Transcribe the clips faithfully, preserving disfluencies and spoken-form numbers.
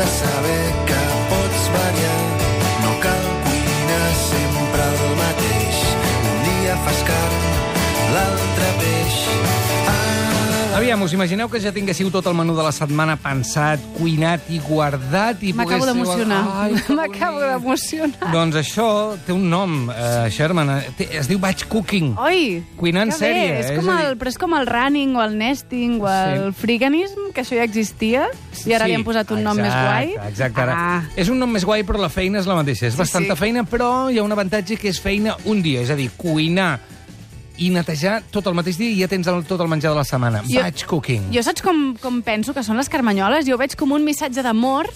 de saber que pots variar. No cal cuinar sempre el mateix. Un dia fas carn, l'altre peix. Aviam, us imagineu que ja tinguéssiu tot el menú de la setmana pensat, cuinat i guardat? I M'acabo poguéssiu... d'emocionar. Ai, que M'acabo bonic. d'emocionar. Doncs això té un nom, uh, Sherman. Té, es diu batch cooking. Oi, Cuinar en que sèrie, bé. És és com a dir- el, però és com el running o el nesting o el Sí. freeganism, que això ja existia, i ara Sí, li han posat un nom més guai. Exacte, ara. Ah. És un nom més guai, però la feina és la mateixa. És Sí, bastanta sí. feina, però hi ha un avantatge que és feina un dia. És a dir, cuinar i netejar tot el mateix dia i ja tens el, tot el menjar de la setmana. Jo- Batch cooking. Jo saps com, com penso que són les carmanyoles? Jo ho veig com un missatge d'amor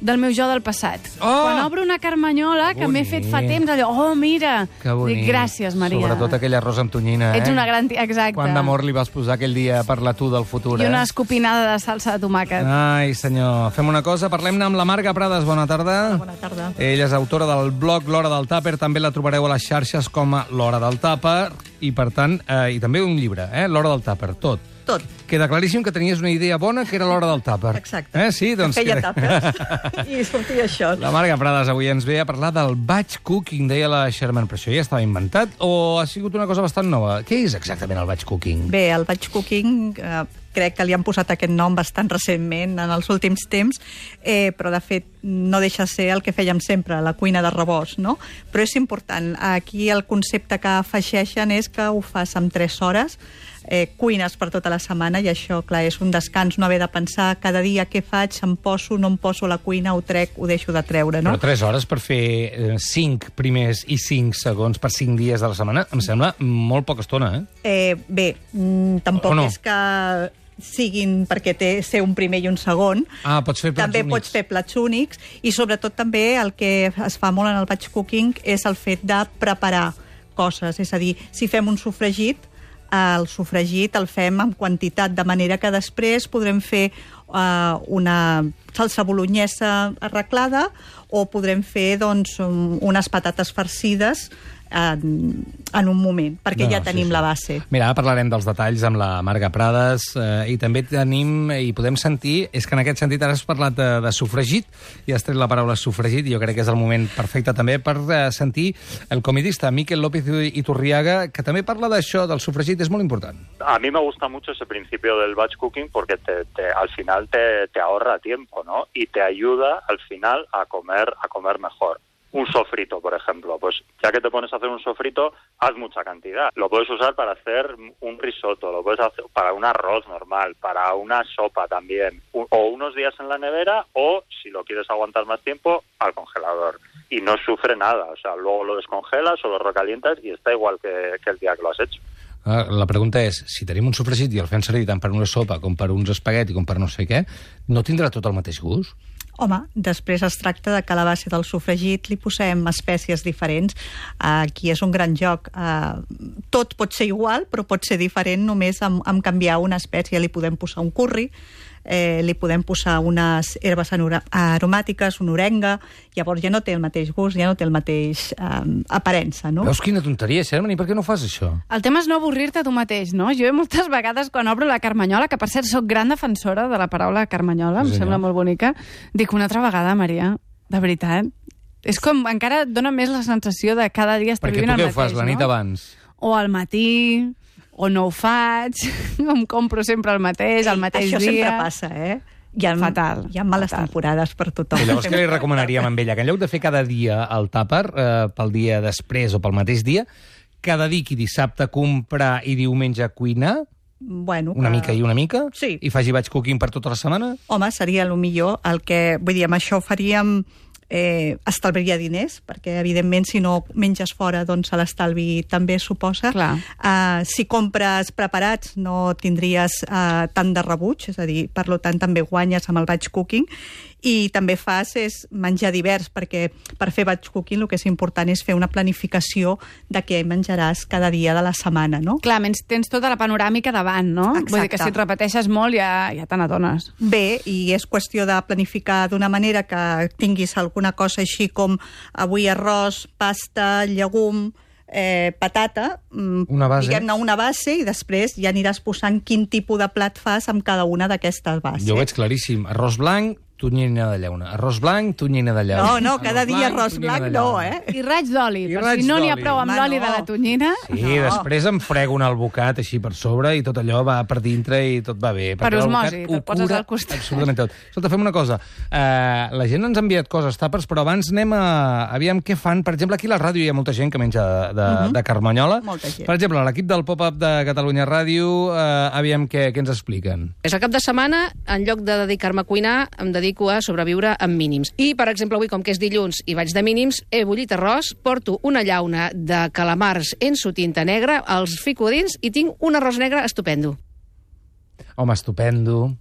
del meu jo del passat. Oh! Quan obro una carmanyola que m'he fet fa temps, allò, oh, mira, Que bonic. dic, gràcies, Maria. Sobretot aquell arròs amb tonyina, eh? Ets una gran tia, exacte. Quant d'amor li vas posar aquell dia per la tu del futur, I eh? una escopinada de salsa de tomàquet. Ai, senyor. Fem una cosa, parlem-ne amb la Marga Prades. Bona tarda. Bona tarda. Ella és autora del blog L'Hora del Tàper. També la trobareu a les xarxes com a L'Hora del Tàper. I, per tant, eh, i també un llibre, eh? L'Hora del Tàper, tot. Tot. Queda claríssim que tenies una idea bona, que era l'hora del tàper. Exacte. Eh? Sí, doncs... Feia queda- tàpers i sortia això. La Marga Prades avui ens ve a parlar del batch cooking, deia la Sherman. Però això ja estava inventat o ha sigut una cosa bastant nova? Què és exactament el batch cooking? Bé, el batch cooking eh, crec que li han posat aquest nom bastant recentment, en els últims temps, eh, però de fet no deixa de ser el que fèiem sempre, la cuina de rebost, no? Però és important. Aquí el concepte que afegeixen és que ho fas en tres hores, eh, cuines per tota la setmana i això, clar, és un descans, no haver de pensar cada dia què faig, em poso, no em poso a la cuina, ho trec, ho deixo de treure, no? Però tres hores per fer eh, cinc primers i cinc segons per cinc dies de la setmana em sembla molt poca estona, eh? Eh, bé, mm, tampoc O no? és que siguin perquè té ser un primer i un segon. Ah, pots fer plats També únics. pots fer plats únics i sobretot també el que es fa molt en el batch cooking és el fet de preparar coses, és a dir, si fem un sofregit, el sofregit el fem en quantitat, de manera que després podrem fer uh, una salsa bolognesa arreglada o podrem fer doncs, um, unes patates farcides en, en un moment, perquè No, ja sí, tenim sí. la base. Mira, ara parlarem dels detalls amb la Marga Prades eh, i també tenim i podem sentir, és que en aquest sentit ara has parlat de, de sofregit i has tret la paraula sofregit i jo crec que és el moment perfecte també per eh, sentir el comidista Miquel López Iturriaga, que també parla d'això, del sofregit, és molt important. A mí me gusta mucho ese principio del batch cooking porque te, te, al final te, te ahorra tiempo, ¿no? Y te ayuda al final a comer, a comer mejor. Un sofrito, por ejemplo, pues ya que te pones a hacer un sofrito, haz mucha cantidad. Lo puedes usar para hacer un risotto, lo puedes hacer para un arroz normal, para una sopa también, o unos días en la nevera o, si lo quieres aguantar más tiempo, al congelador. Y no sufre nada, o sea, luego lo descongelas o lo recalientas y está igual que, que el día que lo has hecho. La pregunta és, si tenim un sofregit i el fem servir tant per una sopa com per uns espagueti com per no sé què, no tindrà tot el mateix gust? Home, després es tracta de que a la base del sofregit li posem espècies diferents. Aquí és un gran joc. Tot pot ser igual, però pot ser diferent només amb, amb canviar una espècie. Li podem posar un curri, eh, li podem posar unes herbes aromàtiques, una orenga, llavors ja no té el mateix gust, ja no té el mateix eh, aparença, no? Veus quina tonteria, Sherman, i per què no fas això? El tema és no avorrir-te tu mateix, no? Jo moltes vegades quan obro la carmanyola, que per cert soc gran defensora de la paraula carmanyola, em Sí, sembla senyor. molt bonica, dic una altra vegada, Maria, de veritat. És com, encara et dona més la sensació de cada dia estar Perquè vivint tu el què ho mateix, fas la nit no? abans? O al matí, o no ho faig, em compro sempre el mateix, el mateix Això dia... sempre passa, eh? Hi ha, Fatal, hi ha males fatal. temporades per tothom. I llavors què li recomanaríem amb ella? Que en lloc de fer cada dia el tàper, eh, pel dia després o pel mateix dia, que dediqui dissabte a comprar i diumenge a cuinar, Bueno, una que- mica i una mica, Sí. i faci batch cooking per tota la setmana? Home, seria el millor. El que, vull dir, amb això faríem... Eh, estalviaria diners, perquè evidentment si no menges fora, doncs l'estalvi també suposa. Clar. Uh, si compres preparats no tindries uh, tant de rebuig, és a dir, per tant també guanyes amb el batch cooking, i també fas és menjar divers, perquè per fer batch cooking el que és important és fer una planificació de què menjaràs cada dia de la setmana, no? Clar, menys tens tota la panoràmica davant, no? Exacte. Vull dir que si et repeteixes molt ja, ja te n'adones. Bé, i és qüestió de planificar d'una manera que tinguis alguna cosa així com avui arròs, pasta, llegum, eh, patata, mm, Una base. diguem-ne una base, i després ja aniràs posant quin tipus de plat fas amb cada una d'aquestes bases. Jo ho veig claríssim. Arròs blanc, tonyina de llauna. Arròs blanc, tonyina de llauna. No, no, cada dia arròs tonyina blanc de no, llauna. eh? I raig d'oli, I per raig si no n'hi ha d'oli. prou amb Home, l'oli no. de la tonyina. Sí, No. després em frego un albocat així per sobre i tot allò va per dintre i tot va bé. Per perquè l'albocat osmosi, ho te'l poses cura al costat. Absolutament tot. Escolta, fem una cosa. Uh, la gent ens ha enviat coses, tàpers, però abans anem a... Aviam què fan. Per exemple, aquí a la ràdio hi ha molta gent que menja de, de, uh -huh. de carmanyola. Molta gent. Per exemple, l'equip del Pop-Up de Catalunya Ràdio, uh, aviam què, què ens expliquen. És el cap de setmana, en lloc de dedicar-me a cuinar, em dedico a sobreviure amb mínims. I, per exemple, avui, com que és dilluns i vaig de mínims, he bullit arròs, porto una llauna de calamars en su tinta negra, els fico dins i tinc un arròs negre estupendo. Home, estupendo.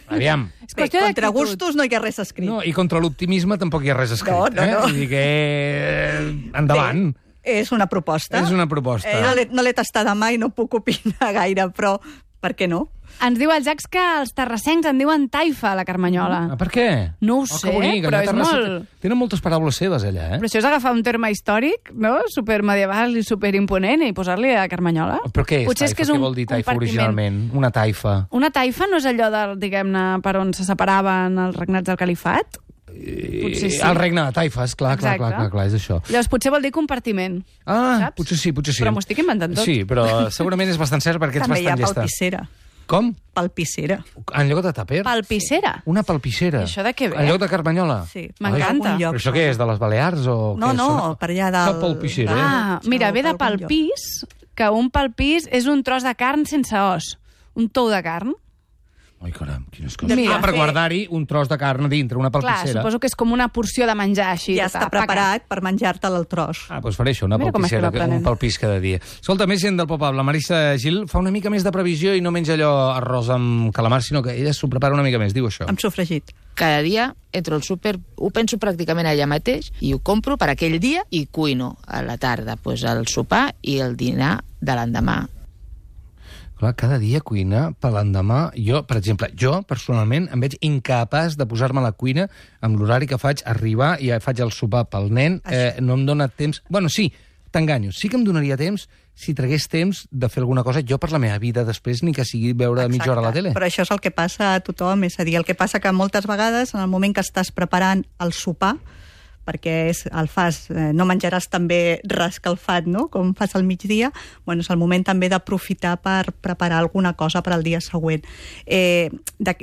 Aviam. És Bé, qüestió contra d'actitud. gustos no hi ha res escrit. No, i contra l'optimisme tampoc hi ha res escrit. No, no, eh? no. Vull dir que... eh, Endavant. Bé, és una proposta. És una proposta. Eh, no l'he no l'he tastada mai, no puc opinar gaire, però per què no? Ens diu el Jax que els terrassencs en diuen taifa, a la carmanyola. Ah, per què? No ho Oh, sé, que bonic, però allà a és Terrassa molt- Tenen moltes paraules seves, allà, eh? Però això és agafar un terme històric, no?, supermedieval i superimponent, i posar-li a carmanyola. Però què és Potser taifa? és que és Què un vol dir taifa compartiment. originalment? Una taifa. Una taifa no és allò, del, diguem-ne, per on se separaven els regnats del califat? Potser sí. El regne de taifes, clar, clar, Exacte. clar, clar, clar, és això. Llavors potser vol dir compartiment. Ah, Saps? potser sí, potser sí. Però m'ho estic inventant tot. Sí, però segurament és bastant cert perquè ets També hi ha bastant llesta. palpissera. Com? Palpissera. En lloc de tàper? Palpissera. Una palpissera. I això de què ve? En lloc de carmanyola? Sí. M'encanta. Algun lloc. Però això què és, de les Balears o No, què? no, Sona- per allà dalt. Fa palpissera. de- Ah, mira, ve de d'algun lloc. palpís, que un palpís és un tros de carn sense os. Un tou de carn. Ai, caram, quines coses. Mira, ah, per fer- guardar-hi un tros de carn a dintre, una Clar, palpissera. suposo que és com una porció de menjar així. Ja tota, està preparat per menjar-te'l al tros. Ah, doncs faré això, una Mira com palpissera, estem aprenent. un palpís cada dia. Escolta, més gent del Pop-Up. La Marissa Gil fa una mica més de previsió i no menja allò arròs amb calamar, sinó que ella s'ho prepara una mica més, diu això. Amb sofregit. Cada dia entro al súper, ho penso pràcticament allà mateix i ho compro per aquell dia i cuino a la tarda, pues, el sopar i el dinar de l'endemà. Clar, cada dia cuina per l'endemà. Jo, per exemple, jo personalment em veig incapaç de posar-me a la cuina amb l'horari que faig, arribar i faig el sopar pel nen. Eh, no em dóna temps... Bueno, sí, t'enganyo. Sí que em donaria temps si tragués temps de fer alguna cosa jo per la meva vida després, ni que sigui veure mitja hora a la tele. Però això és el que passa a tothom, és a dir, el que passa que moltes vegades, en el moment que estàs preparant el sopar, perquè és, el fas, eh, no menjaràs també reescalfat, no?, com fas al migdia, bueno, és el moment també d'aprofitar per preparar alguna cosa per al dia següent. Eh, de,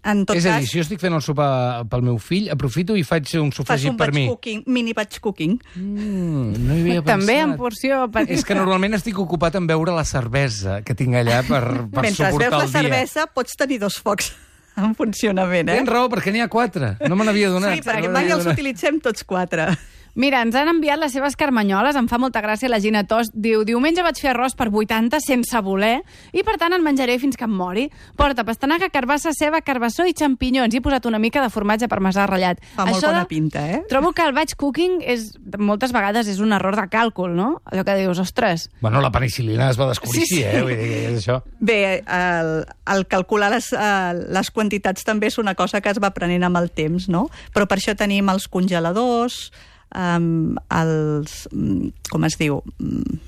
en tot És a cas, dir, si jo estic fent el sopar pel meu fill, aprofito i faig un fas sofregit un per batch mi. cooking, mini batch cooking. Mm, no hi havia També en pensat. porció petita. És que normalment estic ocupat en veure la cervesa que tinc allà per, per Mentre veus suportar la el dia. cervesa, pots tenir dos focs en funcionament, eh? Tens raó, perquè n'hi ha quatre. No me n'havia donat. Sí, perquè no me mai n'havia els donat. utilitzem tots quatre. Mira, ens han enviat les seves carmanyoles, em fa molta gràcia la Gina Tos. Diu, diumenge vaig fer arròs per vuitanta sense voler i per tant en menjaré fins que em mori. Porta pastanaga, carbassa, ceba, carbassó i xampinyons. I he posat una mica de formatge parmesà ratllat. Fa molt Això bona de- pinta, eh? Trobo que el batch cooking és, moltes vegades és un error de càlcul, no? Allò que dius, ostres, Bueno, la penicil·lina es va descobrir, Sí, sí, sí. eh? Vull dir que és això. Bé, el, el calcular les, eh, les quantitats també és una cosa que es va aprenent amb el temps, no? Però per això tenim els congeladors, um, els... mm, com es diu? Mm,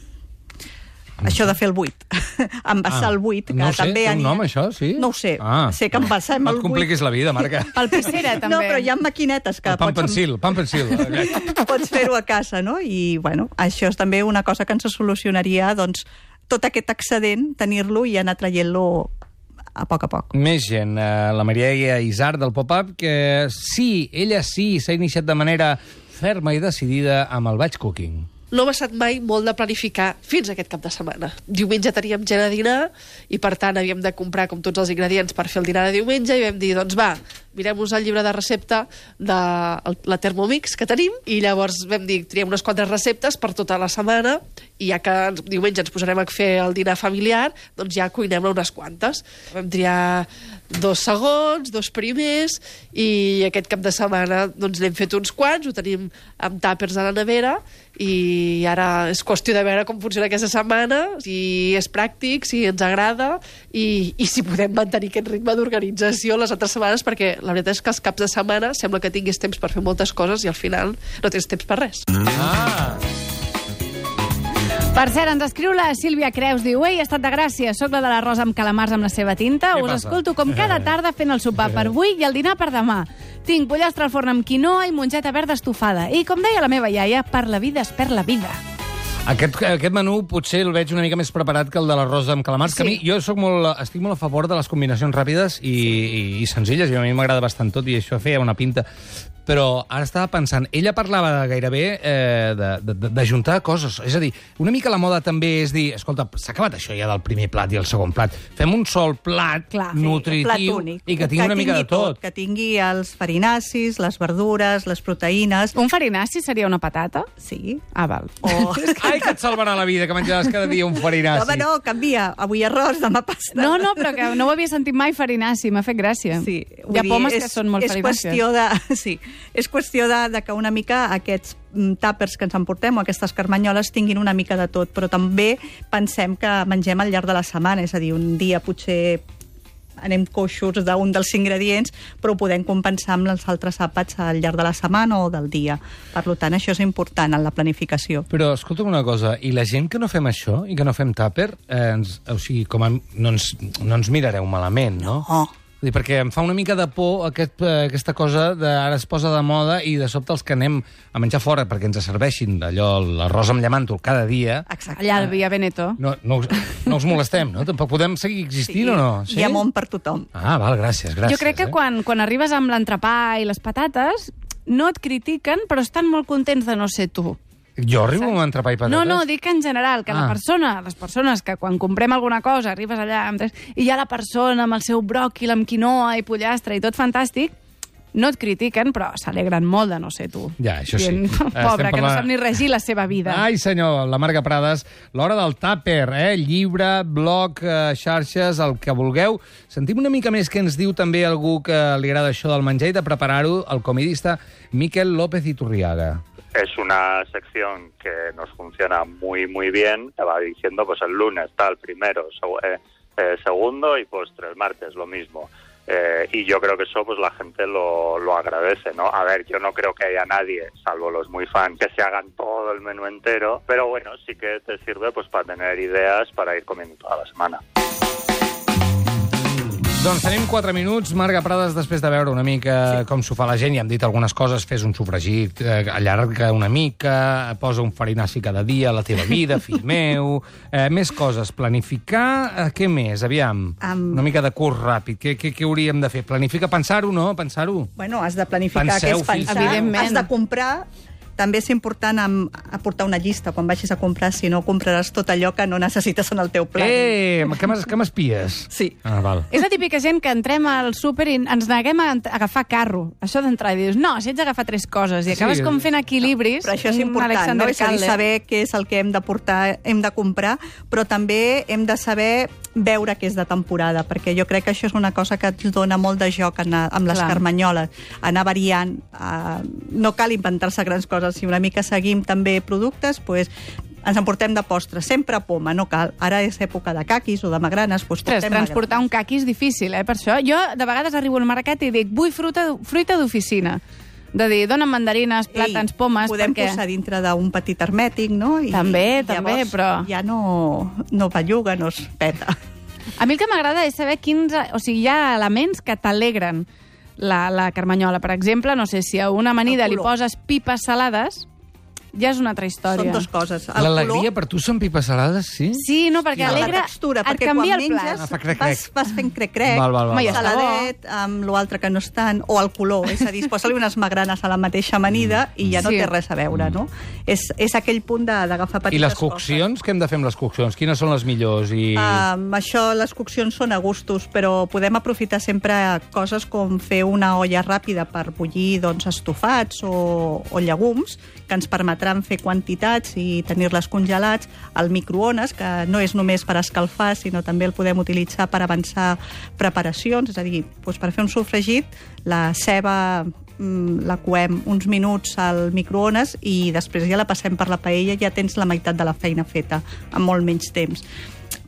això de fer el buit. Envasar Ah, el buit, que no ho sé, també... té un aniria- nom, això, sí? No ho sé. Ah. Sé que envasem No el et buit. compliquis la vida, Marca. palpissera també. No, però hi ha maquinetes que El pan pots... pensil, pan pensil. pots fer-ho a casa, no? I, bueno, això és també una cosa que ens solucionaria, doncs, tot aquest excedent, tenir-lo i anar traient-lo a poc a poc. Més gent, eh, la Maria Isar del Pop-Up, que sí, ella sí, s'ha iniciat de manera ferma i decidida amb el batch cooking. No m'ha estat mai molt de planificar fins aquest cap de setmana. Diumenge teníem gent a dinar i, per tant, havíem de comprar com tots els ingredients per fer el dinar de diumenge i vam dir, doncs va, mirem-nos el llibre de recepta de la Thermomix que tenim i llavors vam dir, triem unes quantes receptes per tota la setmana i ja que diumenge ens posarem a fer el dinar familiar, doncs ja cuinem-ne unes quantes. Vam triar dos segons, dos primers, i aquest cap de setmana doncs n'hem fet uns quants, ho tenim amb tàpers a la nevera, i ara és qüestió de veure com funciona aquesta setmana, si és pràctic, si ens agrada, i, i si podem mantenir aquest ritme d'organització les altres setmanes, perquè la veritat és que els caps de setmana sembla que tinguis temps per fer moltes coses i al final no tens temps per res. Ah! Per cert, ens escriu la Sílvia Creus, diu: ei, he estat de Gràcia, soc la de l'arròs amb calamars amb la seva tinta, Què us passa? escolto com cada tarda fent el sopar per avui i el dinar per demà. Tinc pollastre al forn amb quinoa i mongeta verda estofada. I, com deia la meva iaia, per la vida es perd la vida. Aquest, aquest menú potser el veig una mica més preparat que el de l'arròs amb calamars, sí. Que a mi, jo soc molt, estic molt a favor de les combinacions ràpides i, sí. i, i senzilles, i a mi m'agrada bastant tot, i això feia una pinta. Però ara estava pensant, ella parlava gairebé eh, d'ajuntar coses. És a dir, una mica la moda també és dir, escolta, s'ha acabat això ja del primer plat i el segon plat. Fem un sol plat Clar, nutritiu plat únic, i que tingui que una mica de tot. tot. Que tingui els farinacis, les verdures, les proteïnes. Un farinaci seria una patata? Sí. Ah, val. O... Ai, que et salvarà la vida, que menjaràs cada dia un farinaci. Home, no, canvia. Avui arròs, demà pasta. No, no, però que no ho havia sentit mai farinaci, m'ha fet gràcia. Sí, Hi ha vull pomes dir, que són molt és farinàcies. qüestió de, sí, és qüestió de, de que una mica aquests mm, tàpers que ens emportem o aquestes carmanyoles tinguin una mica de tot, però també pensem que mengem al llarg de la setmana, és a dir, un dia potser anem coixos d'un dels ingredients, però ho podem compensar amb els altres àpats al llarg de la setmana o del dia. Per tant, això és important en la planificació. Però escolta'm una cosa, i la gent que no fem això i que no fem tàper, eh, ens, o sigui, com a, no, ens, no ens mirareu malament, no? No. Vull dir, perquè em fa una mica de por aquest, eh, aquesta cosa de ara es posa de moda i de sobte els que anem a menjar fora perquè ens serveixin allò, l'arròs amb llamàntol cada dia, Exacte. Allà al Via Veneto. no, no, us- no us molestem, no? Tampoc podem seguir existint o no? Hi ha món per tothom. Ah, val, gràcies, gràcies. Jo crec que eh? quan, quan arribes amb l'entrepà i les patates, no et critiquen, però estan molt contents de no ser tu. Jo arribo amb entrepà i patates? No, no, dic en general, que Ah. la persona, les persones que quan comprem alguna cosa arribes allà amb tres, i hi ha la persona amb el seu bròquil, amb quinoa i pollastre i tot fantàstic, no et critiquen, però s'alegren molt de no ser tu. Ja, això sí. Dient, Estem pobre, que no parlant- sap ni regir la seva vida. Ai, senyor, la Marga Prades, l'hora del tàper, eh? Llibre, blog, eh, xarxes, el que vulgueu. Sentim una mica més que ens diu també algú que li agrada això del menjar i de preparar-ho, el comidista Miquel López Iturriaga. Es una sección que nos funciona muy, muy bien. Te va diciendo, pues el lunes tal, primero, seg- eh, eh, segundo y postre, el martes lo mismo. Eh, y yo creo que eso pues la gente lo, lo agradece, ¿no? A ver, yo no creo que haya nadie, salvo los muy fans, que se hagan todo el menú entero, pero bueno, sí que te sirve pues para tener ideas para ir comiendo toda la semana. Doncs tenim quatre minuts. Marga Prades, després de veure una mica sí. com s'ho fa la gent, ja hem dit algunes coses, fes un sofregit, eh, allarga una mica, posa un farinaci cada dia a la teva vida, fill meu... Eh, més coses. Planificar, eh, què més? Aviam, Um, una mica de curs ràpid. Què, què, què hauríem de fer? Planificar, pensar-ho, no? Pensar-ho. Bueno, has de planificar Penseu, què és pensar. fills. Evidentment. Has de comprar. També és important am- aportar una llista quan vagis a comprar, si no compraràs tot allò que no necessites en el teu plat. Eh, que m'es- que m'espies? Sí. Ah, val. És la típica gent que entrem al súper i ens neguem a ent- agafar carro. Això d'entrar i dius, no, si ets d'agafar tres coses, i acabes Sí. com fent equilibris. Però això és un important, Alexander no? És a dir, Calder. saber què és el que hem de portar, hem de comprar, però també hem de saber veure què és de temporada, perquè jo crec que això és una cosa que ens dona molt de joc anar, amb les Clar. carmanyoles, anar variant. Uh, no cal inventar-se grans coses, si una mica seguim també productes, pues, ens emportem de postres, sempre poma, no cal. Ara és època de caquis o de magranes, doncs Ostres, portem transportar un magranes. caqui és difícil, eh, per això. Jo, de vegades, arribo al mercat i dic, vull fruita, fruita d'oficina. De dir, dona'm mandarines, plàtans, Ei, pomes, podem perquè... posar dintre d'un petit hermètic, no? I També, llavors també, però- ja no, no belluga, no es peta. A mi el que m'agrada és saber quins... O sigui, hi ha elements que t'alegren la, la carmanyola. Per exemple, no sé, si a una amanida El li color. poses pipes salades, ja és una altra història. Són dues coses. El L'alegria color, per tu són pipes salades, sí? Sí, no, perquè la alegra... textura, et perquè canvia quan el menges Ah, fa crec, vas, crec. vas fent crec-crec, Val, val, val, Home, ja val. està bo. saladet, amb l'altre que no és tant, o el color, és a dir, posa-li unes magranes a la mateixa amanida i ja no Sí. té res a veure, no? És, és aquell punt de- d'agafar petites I les coses. coccions? Què hem de fer amb les coccions? Quines són les millors? I... Um, això, les coccions són a gustos, però podem aprofitar sempre coses com fer una olla ràpida per bullir doncs, estofats o, o llegums, que ens permetran fer quantitats i tenir-les congelats, al microones, que no és només per escalfar, sinó també el podem utilitzar per avançar preparacions, és a dir, doncs per fer un sofregit, la ceba mm, la coem uns minuts al microones i després ja la passem per la paella i ja tens la meitat de la feina feta, en molt menys temps.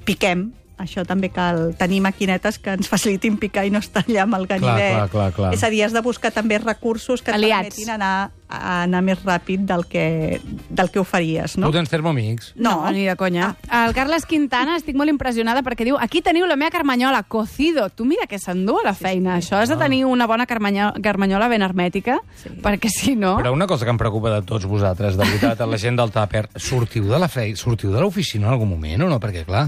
Piquem, això també cal tenir maquinetes que ens facilitin picar i no estar allà amb el ganivet. clar, clar, clar. És a dir, has de buscar també recursos que et Aliats. permetin anar, a anar més ràpid del que, del que ho faries, no? Tu tens Thermomix? No, no, ni de conya. Ah. El Carles Quintana, estic molt impressionada perquè diu, aquí teniu la meva carmanyola, cocido. Tu mira que s'endú a la feina. Sí, sí. Això has de tenir una bona carmanyola, carmanyola ben hermètica, sí. perquè si no... Però una cosa que em preocupa de tots vosaltres, de veritat, a la gent del tàper, sortiu de la feina, sortiu de l'oficina en algun moment o no? Perquè, clar,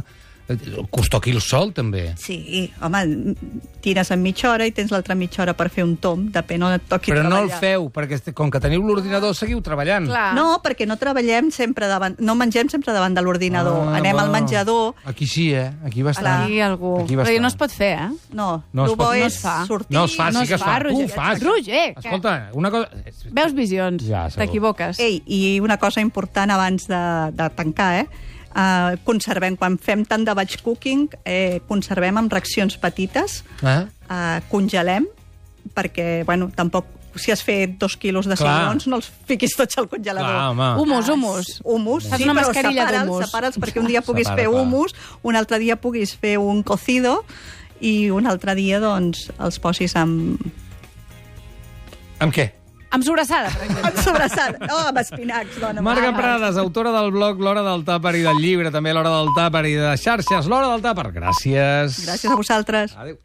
que us toqui el sol, també. Sí, home, tires en mitja hora i tens l'altra mitja hora per fer un tom, depèn on et toqui Però treballar. no el feu, perquè com que teniu l'ordinador seguiu treballant. Clar. No, perquè no treballem sempre davant, no mengem sempre davant de l'ordinador. Ah, Anem va. al menjador. Aquí sí, eh? Aquí va estar. Aquí algú... Aquí va Però estar. no es pot fer, eh? No, No es el bo pot- no és es fa. sortir... No es fa, No sí que es es fa, fa. Tu ho Roger. fas. Roger, què? Escolta, una cosa... Veus visions, Ja, segur. t'equivoques. Ei, i una cosa important abans de, de tancar, eh? Uh, conservem, quan fem tant de batch cooking, eh, conservem amb racions petites, Eh? uh, congelem, perquè, bueno, tampoc, si has fet dos quilos de Clar. cigrons, no els fiquis tots al congelador. Clar, home. Humus, humus. Humus, Fas sí, una però mascarilla separa'ls, d'humus. separa'ls perquè un dia puguis Separa, fer clar. humus, un altre dia puguis fer un cocido i un altre dia, doncs, els posis amb... Amb què? Amb sobrassada, per exemple. amb sobrassada. No, amb espinacs, dona. Marga Prades, autora del blog L'Hora del Tàper i del llibre, també L'Hora del Tàper i de xarxes L'Hora del Tàper. Gràcies. Gràcies a vosaltres. Adéu.